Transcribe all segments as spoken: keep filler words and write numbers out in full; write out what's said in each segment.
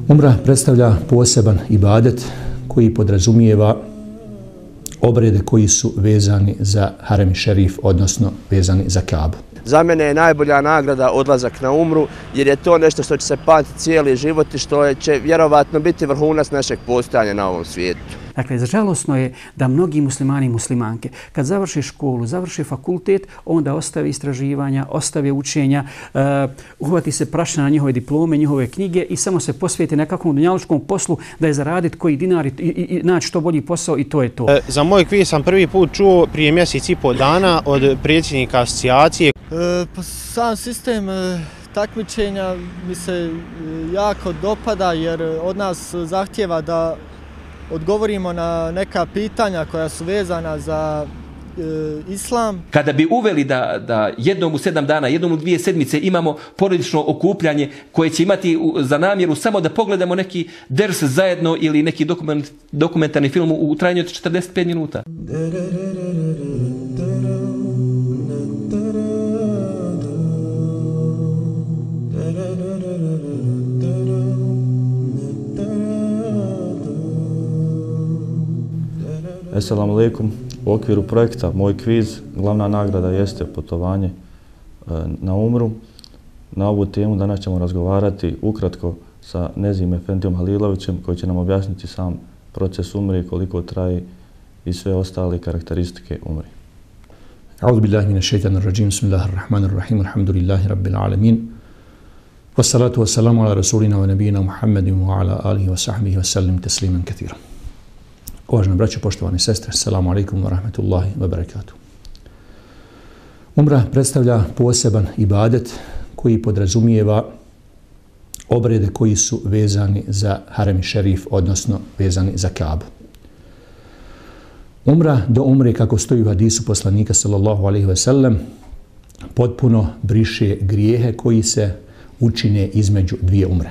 Umra predstavlja poseban ibadet koji podrazumijeva obrede koji su vezani za harem šerif, odnosno vezani za Kabu. Za mene je najbolja nagrada odlazak na umru, jer je to nešto što će se pamtiti cijeli život i što će vjerovatno biti vrhunac našeg postojanja na ovom svijetu. Dakle, žalosno je da mnogi muslimani i muslimanke, kad završe školu, završe fakultet, onda ostave istraživanja, ostave učenja, uh, uhvati se prašina na njihove diplome, njihove knjige i samo se posvijete nekakvom dunjalučkom poslu da je zaraditi koji dinar i, i, i naći što bolji posao i to je to. E, za moj kviz sam prvi put čuo prije mjesec i pol dana od predsjednika asocijacije. E, pa sam sistem e, takmičenja mi se e, jako dopada jer od nas zahtjeva da odgovorimo na neka pitanja koja su vezana za e, islam. Kada bi uveli da, da jednom u sedam dana, jednom u dvije sedmice imamo porodično okupljanje koje će imati za namjeru samo da pogledamo neki ders zajedno ili neki dokument, dokumentarni film u trajanju od četrdeset pet minuta. Assalamu alaikum. U okviru projekta Moj kviz glavna nagrada jeste putovanje na umru. Na ovu temu danas ćemo razgovarati ukratko sa Nezim Efendijom Halilovićem koji će nam objasniti sam proces umre, koliko traje i sve ostale karakteristike umre. A'udhu billahi minash shaitanir rajim. Bismillahirrahmanirrahim. Alhamdulillahi rabbil alamin. Wassalatu wassalamu ala rasulina wa nabiyina Muhammedin wa ala alihi wa sahbihi wa sallim tasliman kathiran. Uvažena braćo, poštovane sestre, assalamu alaikum wa rahmatullahi wa barakatuh. Umra predstavlja poseban ibadet koji podrazumijeva obrede koji su vezani za harem šerif, odnosno vezani za Kabu. Umra do umre, kako stoji u hadisu poslanika sallallahu alaihi wa sallam, potpuno briše grijehe koji se učine između dvije umre.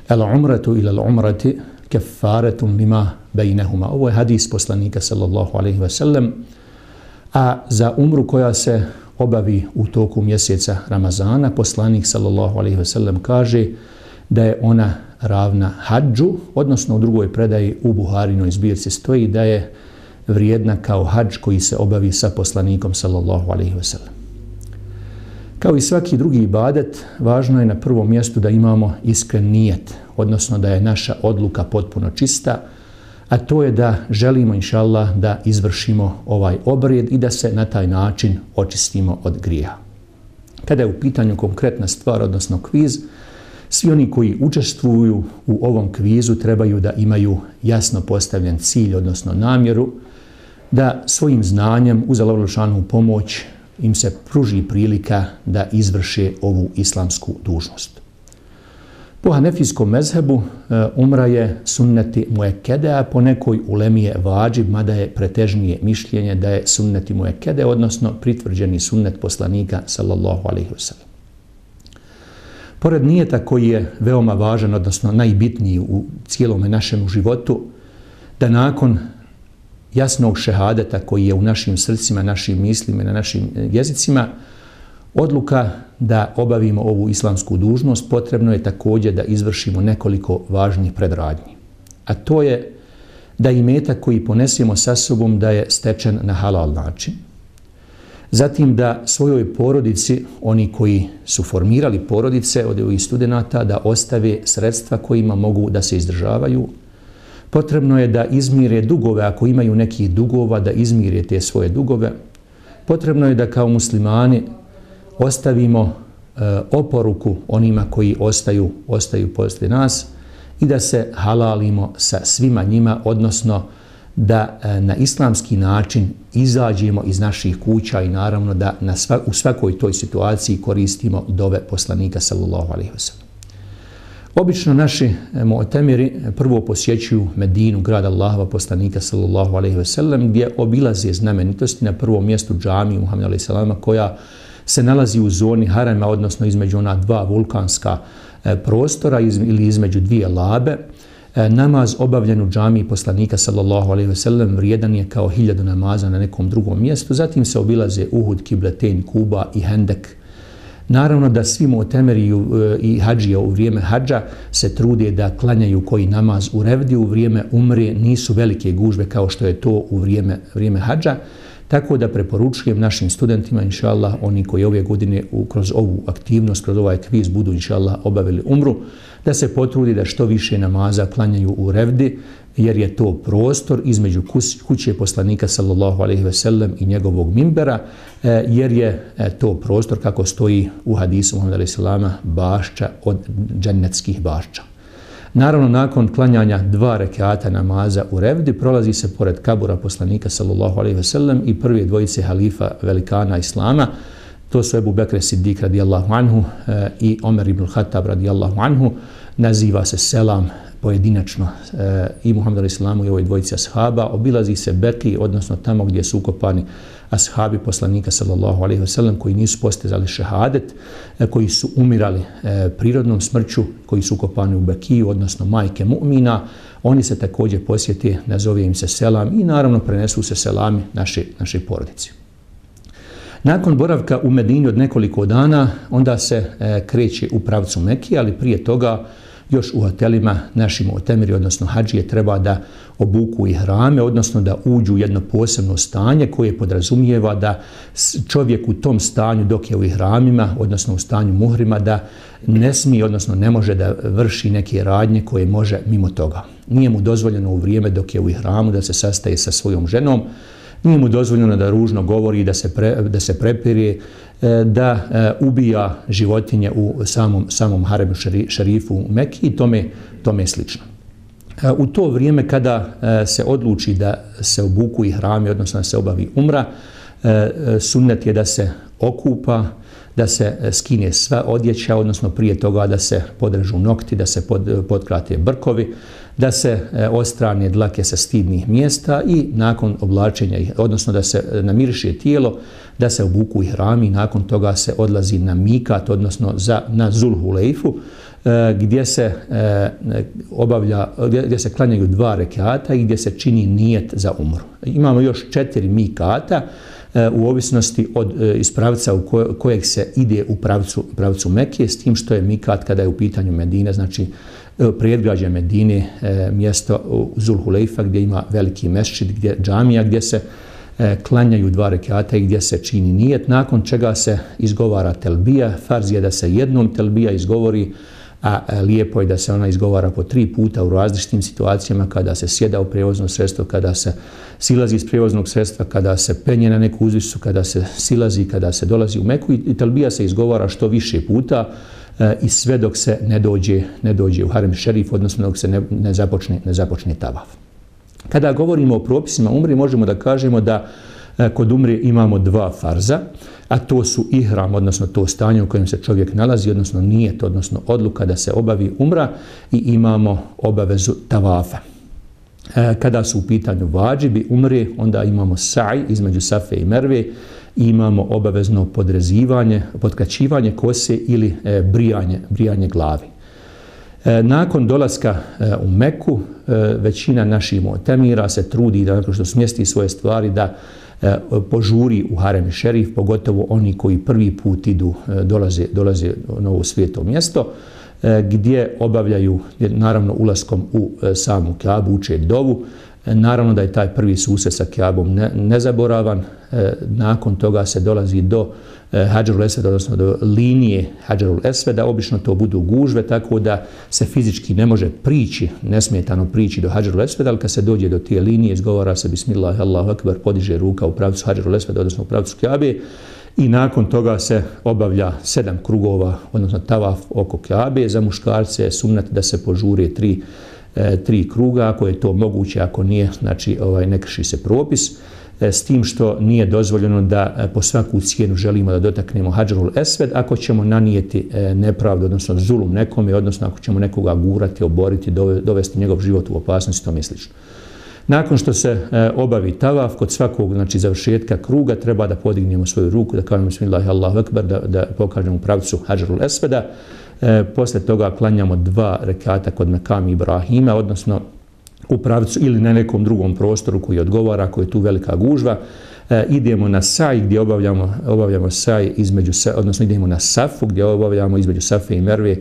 El umratu ila al umrati kefaretun lima bejnehuma. Ovo je hadis poslanika sallallahu alaihi wa sallam. A za umru koja se obavi u toku mjeseca Ramazana, poslanik sallallahu alaihi wa sallam kaže da je ona ravna hadžu, odnosno u drugoj predaji u Buharinoj zbirci stoji da je vrijedna kao hadž koji se obavi sa poslanikom sallallahu alaihi wa sallam. Kao i svaki drugi ibadet, važno je na prvom mjestu da imamo iskren nijet, odnosno da je naša odluka potpuno čista, a to je da želimo, inša Allah, da izvršimo ovaj obred i da se na taj način očistimo od grijeha. Kada je u pitanju konkretna stvar, odnosno kviz, svi oni koji učestvuju u ovom kvizu trebaju da imaju jasno postavljen cilj, odnosno namjeru, da svojim znanjem uz Allahovu pomoć im se pruži prilika da izvrše ovu islamsku dužnost. Po hanefijskom mezhebu umra je sunneti muekede, a po nekoj ulemi je vađib, mada je pretežnije mišljenje da je sunneti muekede, odnosno pritvrđeni sunnet poslanika sallallahu alaihi wa sallam. Pored nijeta koji je veoma važan, odnosno najbitniji u cijelome našem životu, da nakon jasnog šehadeta koji je u našim srcima, našim mislima i na našim jezicima, odluka da obavimo ovu islamsku dužnost, potrebno je također da izvršimo nekoliko važnih predradnji. A to je da imetak koji ponesemo sa sobom da je stečen na halal način. Zatim da svojoj porodici, oni koji su formirali porodice od ovih studenata, da ostave sredstva kojima mogu da se izdržavaju. Potrebno je da izmire dugove, ako imaju nekih dugova, da izmire te svoje dugove. Potrebno je da kao muslimani ostavimo e, oporuku onima koji ostaju, ostaju poslije nas i da se halalimo sa svima njima, odnosno da e, na islamski način izađemo iz naših kuća i naravno da na sva, u svakoj toj situaciji koristimo dove poslanika sallallahu alejhi ve sellem. Obično naši mu'temiri prvo posjećuju Medinu, grad Allahova poslanika sallallahu alejhi ve sellem, gdje obilaze znamenitosti, na prvom mjestu džamiju Muhameda alejhi selama koja se nalazi u zoni harema, odnosno između ona dva vulkanska prostora ili između dvije labe. Namaz obavljen u džamiji poslanika sallallahu alejhi ve sellem vrijedan je kao hiljadu namaza na nekom drugom mjestu. Zatim se obilaze Uhud, Kibletein, Kuba i Hendek. Naravno da svi mu'temeri i hadžija u vrijeme hadža se trude da klanjaju koji namaz u revdi, u vrijeme umre nisu velike gužbe kao što je to u vrijeme, vrijeme hadža. Tako da preporučujem našim studentima, inša Allah, oni koji ove godine kroz ovu aktivnost, kroz ovaj kviz budu, inša Allah, obavili umru, da se potrudi da što više namaza klanjaju u revdi, jer je to prostor između kuće poslanika sallallahu alejhi ve sellem i njegovog mimbera, jer je to prostor, kako stoji u hadisu Muhameda alejhi selama, bašča od džennetskih bašča. Naravno, nakon klanjanja dva rekata namaza u revdi, prolazi se pored kabura poslanika sallallahu alejhi ve sellem i prve dvojice halifa velikana Islama. To su Ebu Bekr Siddiq radijallahu anhu i Omer ibn Khattab radijallahu anhu. Naziva se selam pojedinačno i Muhammedu alejhi selamu i ovoj dvojici ashaba. Obilazi se Beki, odnosno tamo gdje su ukopani ashabi poslanika sallallahu alejhi ve sellem koji nisu postizali šehadet, koji su umirali prirodnom smrću, koji su ukopani u Bekiju, odnosno majke mu'mina. Oni se također posjete, nazove im se selam i naravno prenesu se selami naše, naše porodice. Nakon boravka u Medini od nekoliko dana, onda se kreće u pravcu Mekije, ali prije toga još u hotelima naši mu'temiri, odnosno hadžije, treba da obuku ihrame, odnosno da uđu u jedno posebno stanje koje podrazumijeva da čovjek u tom stanju dok je u ihramima, odnosno u stanju muhrima, da ne smije, odnosno ne može da vrši neke radnje koje može mimo toga. Nije mu dozvoljeno u vrijeme dok je u ihramu da se sastaje sa svojom ženom, nije mu dozvoljeno da ružno govori, da se, pre, da se prepire, da ubija životinje u samom, samom haremu šerifu u Mekiji i tome, tome slično. U to vrijeme kada se odluči da se obuku ihrami, odnosno da se obavi umra, sunnet je da se okupa, da se skine sva odjeća, odnosno prije toga da se podrežu nokti, da se pod, potkrate brkovi, da se odstrane dlake sa stidnih mjesta i nakon oblačenja, odnosno da se namiriše tijelo, da se obuku ihrami i nakon toga se odlazi na mikat, odnosno za, na Zulhulejfu, gdje se obavlja, gdje se klanjaju dva rekata i gdje se čini nijet za umru. Imamo još četiri mikata u ovisnosti od iz pravca u kojeg se ide u pravcu, pravcu Mekije, s tim što je mikat kada je u pitanju Medine, znači predgrađe Medine, mjesto Zulhulejfa gdje ima veliki mešćid, gdje džamija, gdje se klanjaju dva rekata i gdje se čini nijet, nakon čega se izgovara telbija. Farz je da se jednom telbija izgovori, a lijepo je da se ona izgovara po tri puta u različitim situacijama, kada se sjeda u prijevozno sredstvo, kada se silazi iz prijevoznog sredstva, kada se penje na neku uzvisu, kada se silazi, kada se dolazi u Meku, i telbija se izgovara što više puta i sve dok se ne dođe, ne dođe u harem šerif, odnosno dok se ne, ne, započne, ne započne tavaf. Kada govorimo o propisima umri, možemo da kažemo da kod umri imamo dva farza, a to su ihram, odnosno to stanje u kojem se čovjek nalazi, odnosno nijet, odnosno odluka da se obavi umra, i imamo obavezu tavafa. Kada su u pitanju vađibi umri, onda imamo saj između Safe i Merve, i imamo obavezno podrezivanje, potkačivanje kose ili brijanje, brijanje glavi. Nakon dolaska u Meku, većina naših mu'temira se trudi da, nakon što smjesti svoje stvari, da požuri u harem šerif, pogotovo oni koji prvi put idu, dolaze, dolaze na ovo svijeto mjesto, gdje obavljaju, naravno, ulaskom u samu Kaabu, uče dovu. Naravno da je taj prvi susret sa Kaabom ne, nezaboravan. Nakon toga se dolazi do Hadžarul Esveda, odnosno do linije Hadžarul Esveda. Obično to budu gužve, tako da se fizički ne može prići, nesmetano prići do Hadžarul Esveda, ali kad se dođe do te linije, izgovara se Bismillah, Allahu Akbar, podiže ruka u pravcu Hadžarul Esveda, odnosno u pravcu Kaabe, i nakon toga se obavlja sedam krugova, odnosno tavaf oko Kaabe. Za muškarce je sunnet da se požure tri tri kruga, ako je to moguće, ako nije, znači ovaj, ne krši se propis, s tim što nije dozvoljeno da po svaku cijenu želimo da dotaknemo Hadžarul Esved, ako ćemo nanijeti nepravdu, odnosno zulum nekome, odnosno ako ćemo nekoga gurati, oboriti, dovesti njegov život u opasnost i tome slično. Nakon što se obavi tavaf, kod svakog, znači, završetka kruga treba da podignemo svoju ruku, da kažemo Bismillah, Allahu Akbar, da, da pokažemo u pravcu Hadžarul Esveda. E, posle toga klanjamo dva rekata kod Mekami Ibrahima, odnosno u pravcu ili na nekom drugom prostoru koji odgovara, koji je tu velika gužva. E, idemo na saj gdje obavljamo, obavljamo saj između, odnosno idemo na safu gdje obavljamo između Safe i Merve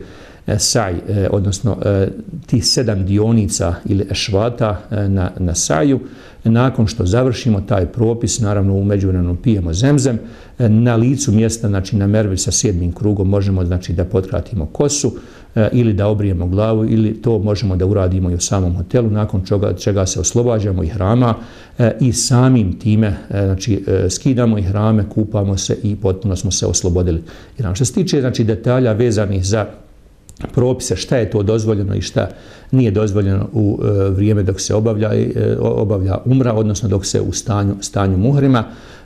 e, saj, e, odnosno e, tih sedam dionica ili ešvata e, na, na saju. Nakon što završimo taj propis, naravno u međuvremenu pijemo zemzem, e, na licu mjesta, znači na Mervi sa sedmim krugom možemo znači da potkratimo kosu e, ili da obrijemo glavu ili to možemo da uradimo i u samom hotelu, nakon čega, čega se oslobađamo ihrama e, i samim time e, znači e, skidamo ihrame, kupamo se i potpuno smo se oslobodili. Ihrama. Što se tiče znači detalja vezanih za propise šta je to dozvoljeno i šta nije dozvoljeno u e, vrijeme dok se obavlja, e, obavlja umra, odnosno dok se u stanju, stanju muhrima,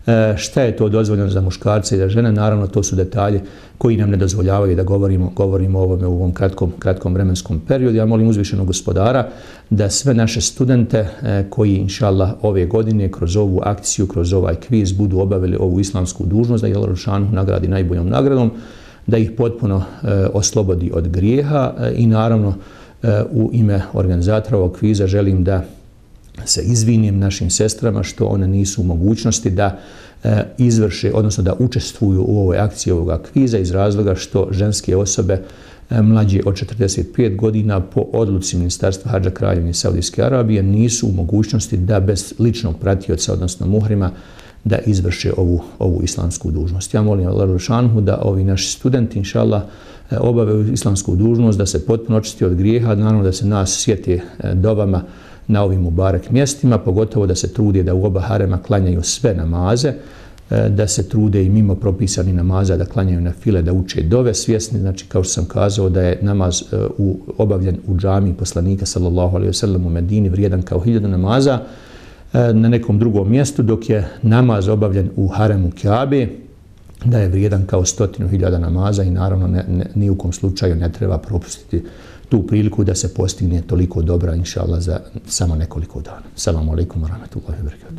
e, šta je to dozvoljeno za muškarce i za žene, naravno to su detalji koji nam ne dozvoljavaju da govorimo, govorimo o ovome u ovom kratkom, kratkom vremenskom periodu. Ja molim uzvišenog gospodara da sve naše studente e, koji inšallah ove godine kroz ovu akciju, kroz ovaj kviz budu obavili ovu islamsku dužnost, da je Đelešanu nagradi najboljom nagradom, da ih potpuno e, oslobodi od grijeha e, i naravno e, u ime organizatora ovog kviza želim da se izvinim našim sestrama što one nisu u mogućnosti da e, izvrše, odnosno da učestvuju u ovoj akciji ovoga kviza iz razloga što ženske osobe e, mlađe od četrdeset pet godina po odluci Ministarstva Hadža Kraljevine Saudijske Arabije nisu u mogućnosti da bez ličnog pratioca, odnosno muhrima, da izvrše ovu, ovu islamsku dužnost. Ja molim Allah Đelešanu da ovi naši studenti, inšallah, obave islamsku dužnost, da se potpuno očisti od grijeha, naravno da se nas sjeti dovama na ovim mubarek mjestima, pogotovo da se trude da u oba harema klanjaju sve namaze, da se trude i mimo propisani namaza da klanjaju na file, da uče dove, svjesni, znači kao što sam kazao da je namaz u, obavljen u džamiji poslanika sallallahu alejhi ve sellem u Medini vrijedan kao hiljadu namaza, na nekom drugom mjestu, dok je namaz obavljen u haremu Kjabe, da je vrijedan kao stotinu hiljada namaza i naravno ne, ne, ni u kom slučaju ne treba propustiti tu priliku da se postigne toliko dobra, inšallah, za samo nekoliko dana. Salamu alaikum wa rahmatullahi wa barakatuh.